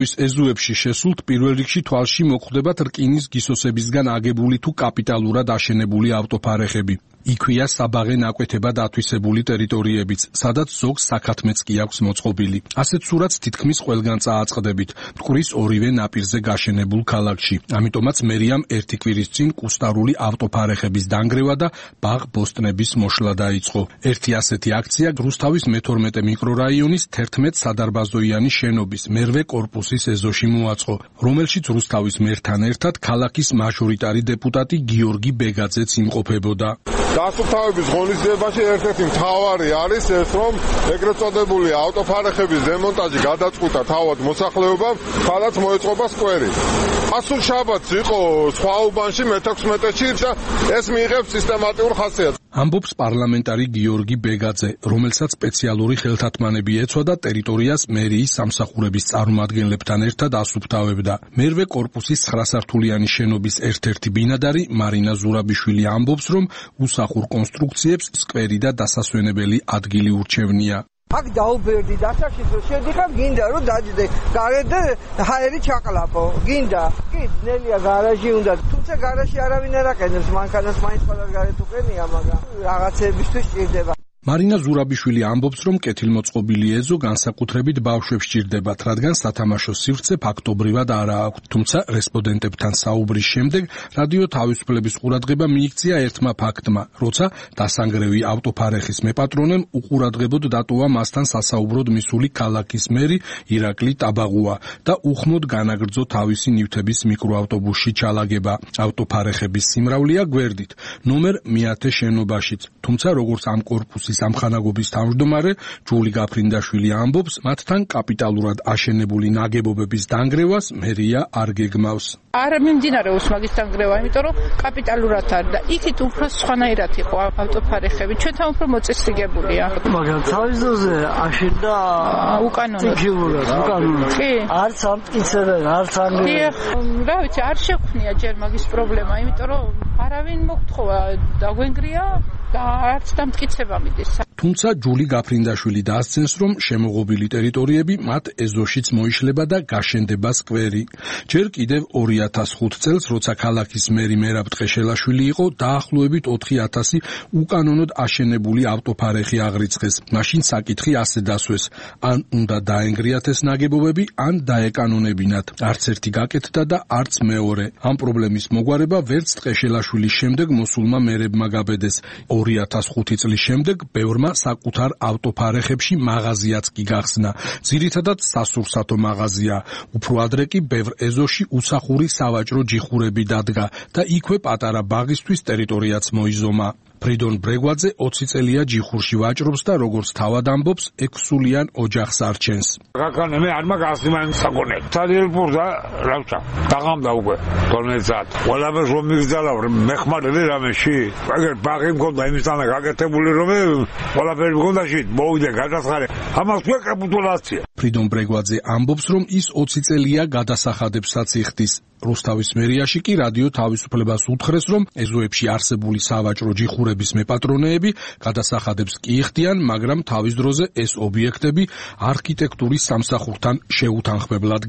ეზოებში შესულთ პირველ რიგში თვალში მოხვდებათ რკინის გისოსებისგან აგებული თუ კაპიტალურად აშენებული ავტოფარეხები. იქვეა საბაღე ნაკვეთებად ათვისებული ტერიტორიებიც, სადაც ზოგს საქათმეც კი აქვს მოწყობილი. ასეთ სურათს თითქმის ყველგან წააწყდებით, მტკვრის ორივე ნაპირზე გაშენებულ ქალაქში. ამიტომაც მერიამ ერთი კვირის წინ კუსტარული ავტოფარეხების დანგრევა და ბაღ-ბოსტნების მოშლა დაიწყო. ერთი ასეთი აქცია რუსთავის მე-12 მიკრორაიონის 11 სადარბაზოიანი შენობის მერვე კორპუსის ეზოში მოაწყო, რომელშიც რუსთავის მერთან ერთად ქალაქის მაჟორიტარი დეპუტატი გიორგი ბეგაძეც იმყოფებოდა. დასუფთავების ღონისძიებაში ერთ-ერთი მთავარი არის ეს, რომ ეგრეთ წოდებული ავტოფარეხების დემონტაჟი გადაწყვიტა თავად მოსახლეობამ, სადაც მოეწყობა სკვერი. ასულ შაბათს იყო სხვა უბანში მე-16-ში და ეს მიიღებს სისტემატიურ ხასიათს. ამბობს პარლამენტარი გიორგი ბეგაძე, რომელსაც სპეციალური ხელთათმანები ეცვა და ტერიტორიას მერიის სამსახურების წარმომადგენლებთან ერთად ასუფთავებდა. მერვე კორპუსის 9-სართულიანი შენობის ერთ-ერთი ბინადარი მარინა ზურაბიშვილი ამბობს, რომ უსახურ კონსტრუქციებს სკვერი და დასასვენებელი ადგილი ურჩევნია. აქ დაუბერდი დასაშიც რომ შედიხარ, გინდა რომ დაჯდე გარეთ და ჰაერი ჩაყლაპო, გინდა. კი, ძნელია გარაჟი უნდა, თუმცა გარაჟში არავინ არ აყენებს, მანქანას მაინც ყველას გარეთ უყენია, მაგრამ რაღაცეებისთვის სჭირდება. მარინა ზურაბიშვილი ამბობს, რომ კეთილმოწყობილი ეზო განსაკუთრებით ბავშვებს სჭირდებათ, რადგან სათამაშო სივრცე ფაქტობრივად არა აქვთ. თუმცა რესპონდენტებთან საუბრის შემდეგ რადიო თავისუფლების ყურადღება მიიქცია ერთმა ფაქტმა, როცა დასანგრევი ავტოფარეხის მეპატრონემ უყურადღებოდ დატოვა მასთან სასაუბროდ მისული ქალაქის მერი ირაკლი ტაბაღუა და უხმოდ განაგრძო თავისი ნივთების მიკროავტობუსში ჩალაგება. ავტოფარეხების სიმრავლეა გვერდით, ნომერ მე-10 შენობაშიც. თუმცა როგორც ამ კორპუსის სამხანაგობის თავმჯდომარე ჯული გაფრინდაშვილი ამბობს, მათთან კაპიტალურად აშენებული ნაგებობების დანგრევას მერია არ გეგმავს. არ მიმდინარეობს მაგის დანგრევა, იმიტომ რომ კაპიტალურად არის და იქით უფრო სხვანაირად იყო ავტოფარეხები. ჩვენთან უფრო მოწესრიგებულია. მაგრამ თავის დროზე აშენდა უკანონოდ. კი. არც ამტკიცებენ, არც ანგრევენ. რა ვიცი, არ შექმნია ჯერ მაგის პრობლემა, იმიტომ რომ არავინ მოგთხოვა დაგვენგრია და არც დამტკიცება მიდის. თუმცა ჯული გაფრინდაშვილი დაასცენს, რომ შემოღობილი ტერიტორიები მათ ეზოშიც მოიშლება და გაშენდება სკვერი. ჯერ კიდევ 2005 წელს, როცა ქალაქის მერი მერაბ ტყეშელაშვილი იყო, დაახლოებით 4000 უკანონოდ აშენებული ავტოფარეხი აღრიცხეს. მაშინ საკითხი ასე დასვეს: ან უნდა დაენგრიათ ეს ნაგებობები, ან დაეკანონებინათ. არც ერთი გაკეთდა და არც მეორე. ამ პრობლემის მოგვარება ვერც ტყეშელაშვილის შემდეგ მოსულმა მერებმა გაბედეს. 2005 წლის შემდეგ ბევრმა საკუთარ ავტოფარეხებში მაღაზიაც კი გახსნა. ძირითადად სასურსათო მაღაზია. უფრო ადრე კი ბევრ ეზოში უსახური სავაჭრო ჯიხურები დადგა და იქვე პატარა ბაღისთვის ტერიტორიაც მოიზომა. ფრიდონ ბრეგვაძე 20 წელია ჯიხურში ვაჭრობს და როგორც თავად ამბობს, 6-სულიან ოჯახს არჩენს. Rakane me ar magas niman sakone. Tadilpurda რავჭა. დაღამდა უკვე 12 საათი. ყველაფერს რომ მიგზალა მეხმარები რამეში. აგერ ბაღი მქონდა იმისთანა გაკეთებული რომ ყველაფერი მქონდა შით მოვიდე გადასახარე. ამას თქვა კაპიტულაცია. ფრიდონ ბრეგვაძე ამბობს, რომ ის 20 წელია გადასახადებსაც იხდის. რუსთავის მერიაში კი რადიო თავისუფლებას უთხრეს, რომ ეზოებში არსებული სავაჭრო ჯიხურების მეპატრონეები გადასახადებს კი იხდიან, მაგრამ თავის დროზე ეს ობიექტები არქიტექტურის სამსახურთან შეუთანხმებლად